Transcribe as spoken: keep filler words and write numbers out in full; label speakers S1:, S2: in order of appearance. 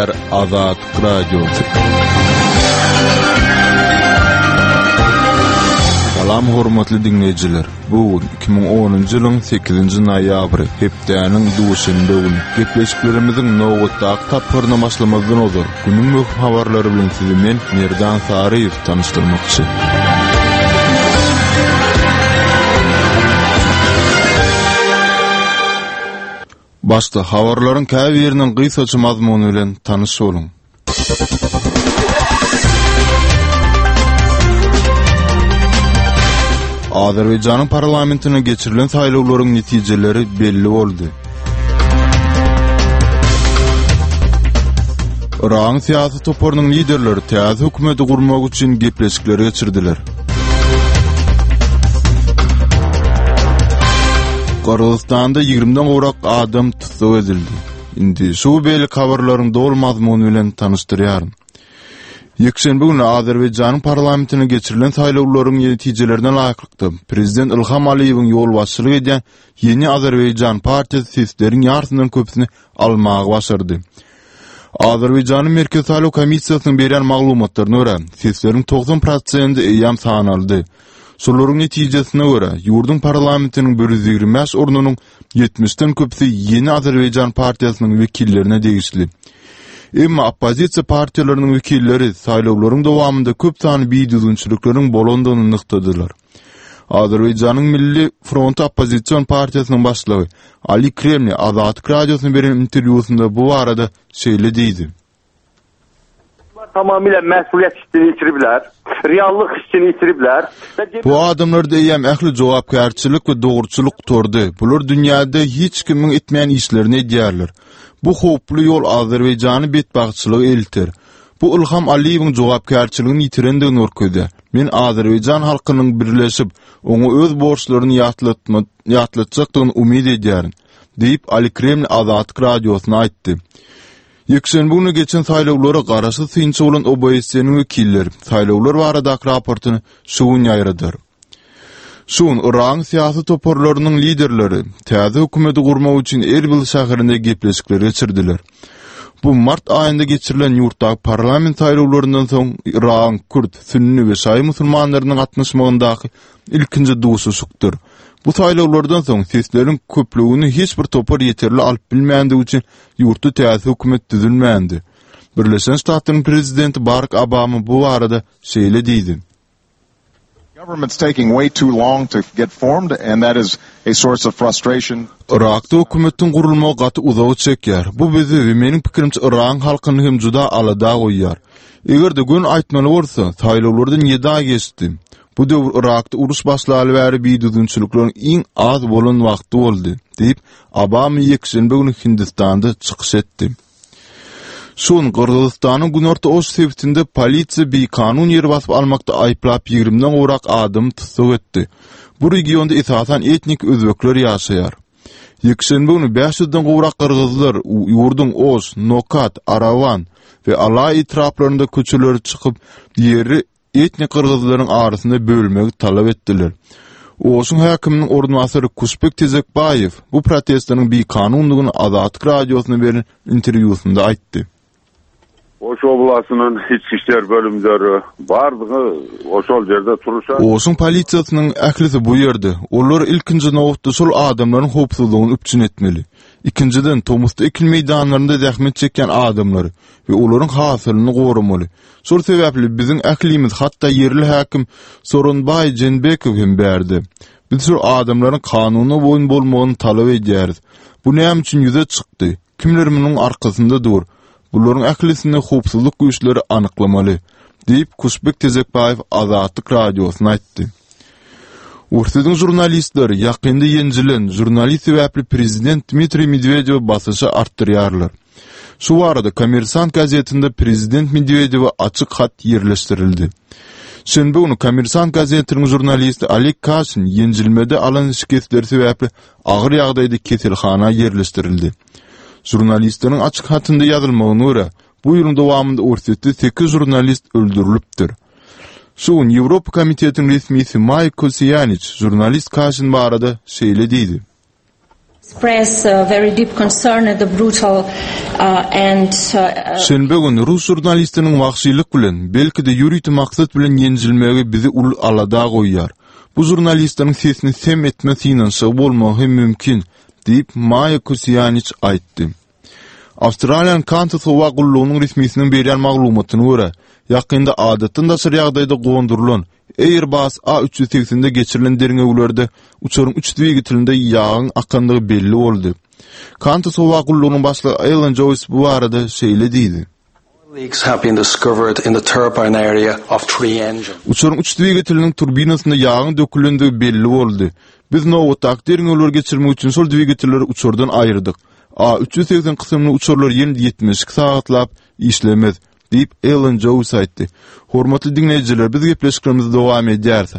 S1: gepleýär Azatlyk Radiosy. Salam hormatly diňleýjiler. Bu gün iki müň onunjy ýylyň sekizinji noýabry, hepdäniň duşenbe güni. Gepleşiklerimiziň nobatdaky tapgyryna başlamazdan ozal, günüň möhüm habarlary bilen sizi men, Merdan Saryýew tanyşdyrmakçy. Başda habarlaryň käbiriniň gysgaça mazmuny bilen tanyş boluň. Azerbaýjanyň parlamentine geçirilen saýlawlaryň netijeleri belli boldy. Yragyň syýasy toparynyň liderleri täze hökümeti gurmak üçin gepleşikleri geçirdiler. Gyrgyzystanda ýigrimiden gowrak adam tussag edildi. Indi şu we beýleki habarlaryň doly mazmuny bilen tanyşdyrýaryn. Ýekşenbe güni Azerbaýjanyň parlamentine geçirilen saýlawlaryň netijelerine laýyklykda, prezident Ilham Aliýewiň ýolbaşçylyk edýän Ýeni Azerbaýjan partiýasy sesleriň ýarysyndan köpüsini almagy başardy. Azerbaýjanyň Merkezi saýlaw komissiýasynyň berýän maglumatlaryna görä, sesleriň togsan prosendi eýýäm sanaldy. Şolaryň netijesine görä, ýurduň parlamentiniň bir ýüz ýigrimi bäş ornunyň ýetmişden köpüsi Ýeni Azerbaýjan partiýasynyň wekillerine degişli. Emma oppozisiýa partiýalarynyň wekilleri saýlawlaryň dowamynda köp sanly bidüzgünçilikleriň bolandygyny nygtadylar. Azerbaýjanyň Milli fronty oppozision partiýasynyň başlygy Ali Kremli Azatlyk Radiosyna beren interwýusynda bu barada şeýle diýdi.
S2: Tamamıyla məsuliyyət hissini itiriblər, reallıq hissini itiriblər.
S1: Bu adamlarda eýýäm ähli jogapkärçilik we dogruçylyk gutardy. Bular dünýäde hiç kimiň etmeýän işlerini edýärler. Bu howply ýol Azerbaýjany betbagtçylyga elter. Bu Ilham Aliýewiň jogapkärçiligini ýitirendigini görkezýär. Men Azerbaýjan halkynyň birleşip, oňa öz borçlaryny ýatlatma-, ýatlatjakdygyny umyt edýärin, diýip, Ali Kremli Azatlyk Radiosyna aýtdy. Ýekşenbe güni geçen saýlawlara garaşsyz synçy bolan O B S E-niň wekilleri saýlawlar baradaky raportyny şu gün ýaýradar. Şu gün Yragyň syýasy toparlarynyň liderleri täze hökümeti gurmak üçin Erbil şäherinde gepleşikleri geçirdiler. Bu mart aýynda geçirilen ýurtdaky parlament saýlawlaryndan soň Yragyň kürt, sünni we şaýy musulmanlarynyň gatnaşmagyndaky ilkinji duşuşykdyr. Bu saýlawlardan soň sesleriň köplügini hiç bir topar ýeterli alyp bilmändigi üçin ýurtda täze hökümet düzülmändi. Birleşen Ştatlaryň prezidenti Barack Obama bu barada şeýle diýdi.
S3: Government's taking way too long to get formed, and that is a source of frustration.
S1: Irakda hökümetiň gurulmagy gaty uzaga çekýär. Bu bizi we meniň pikirimçe Yragyň halkyny hem juda alada goýýar. Eger-de gün aýtmaly bolsa, saýlawlardan ýedi aý geçdi. Bu döwür Irakda uruş başlaly bäri bidüzgünçilikleriň iň az bolan wagty boldy, diýip, Obama ýekşenbe güni Hindistanda çykyş etdi. Şu gün Gyrgyzystanyň Günorta Oş sebitinde polisiýa bikanun ýer basyp almakda aýyplap ýigrimden gowrak adamy tussag etdi. Bu regionda esasan etnik özbekler ýaşaýar. Ýekşenbe güni bäş ýüzden gowrak gyrgyzlar ýurduň Oş, Nokat, Arawan we Alaý etraplarynda köçelere çykyp, ýeri etnik gyrgyzlaryň arasynda bölmegi talap etdiler. Oşuň häkiminiň orunbasary Kuşbek Tezekbaýew bu protestleriň bikanundygyny Azatlyk Radiosyna beren interwýusynda aýtdy.
S4: Oş oblastynyň İçki İşler bölümleri bardygy oşol ýerde turuşa.
S1: Oşuň polisiýasynyň ählisi bu ýerde. Olar ilkinji nobatda şol adamlaryň howpsuzlygyny üpjün etmeli. Ikinjiden, tomusda ekin meýdanlarynda zähmet çekýän adamlary we olaryň hasylyny goramaly. Şol sebäpli biziň ählimiz, hatda ýerli häkim Soronbaý Jenbekow hem bärde. Biz şol adamlaryň kanuna boýun bolmagyny talap edýäris. Bu näme üçin ýüze çykdy? Kimler munuň arkasynda dur? Bularyň ählisini howpsuzlyk güýçleri anyklamaly, diýip Kuşbek Tezekbaýew Azatlyk Radiosyna aýtdy. Orsýetiň žurnalistleri ýakynda ýenjilen žurnalist sebäpli prezident Dmitriý Medwedewe basyşy artdyrýarlar. Şu barada Kommersant gazetinde prezident Medwedewe açyk hat ýerleşdirildi. Şenbe güni Kommersant gazetiniň žurnalisti Oleg Kaşin ýenjilmede alan şikesleri sebäpli agyr ýagdaýda keselhana ýerleşdirildi. Žurnalistleriň açyk hatynda ýazylmagyna görä, bu ýylyň dowamynda Orsýetde sekiz žurnalist öldürilipdir. Şu gün Ýewropa Komitetiniň resmisi Maý Kosiýaniç žurnalist Kaşin barada şeýle diýdi.
S5: Express uh, very deep concern at the brutal uh, and uh,
S1: Şenbe güni rus žurnalistiniň wagşylyk bilen, belki-de ýörite maksat bilen ýenjilmegi bizi uly alada goýýar. Bu žurnalistleriň sesini sem etme synanyşygy bolmagy hem mümkin, diýip Maýa Kosiýaniç aýtdy. Awstraliýanyň Qantas howa gullugynyň resmisiniň berýän maglumatyna görä, ýakynda adatdan daşary ýagdaýda gondurylan Airbus A üç ýüz segsende geçirilen derňewlerde uçaryň üç dwigatelinde ýagyň akandygy belli boldy. Qantas howa gullugynyň başlygy Alan Joyce bu barada şeýle diýdi.
S6: Leaks have been discovered in the turbine area of three engines.
S1: Uçaryň üç dwigateliniň turbinasynda ýagyň dökülendigi belli boldy. Biz nobatdaky derňewleri geçirmek üçin şol dwigatelleri uçardan aýyrdyk. A üç ýüz segsen kysymly uçarlar ýene ýetmiş iki sagatlap işlemez, diýip Alan Joyce aýtdy. Hormatly diňleýjiler, biz gepleşiklerimizi dowam edýäris.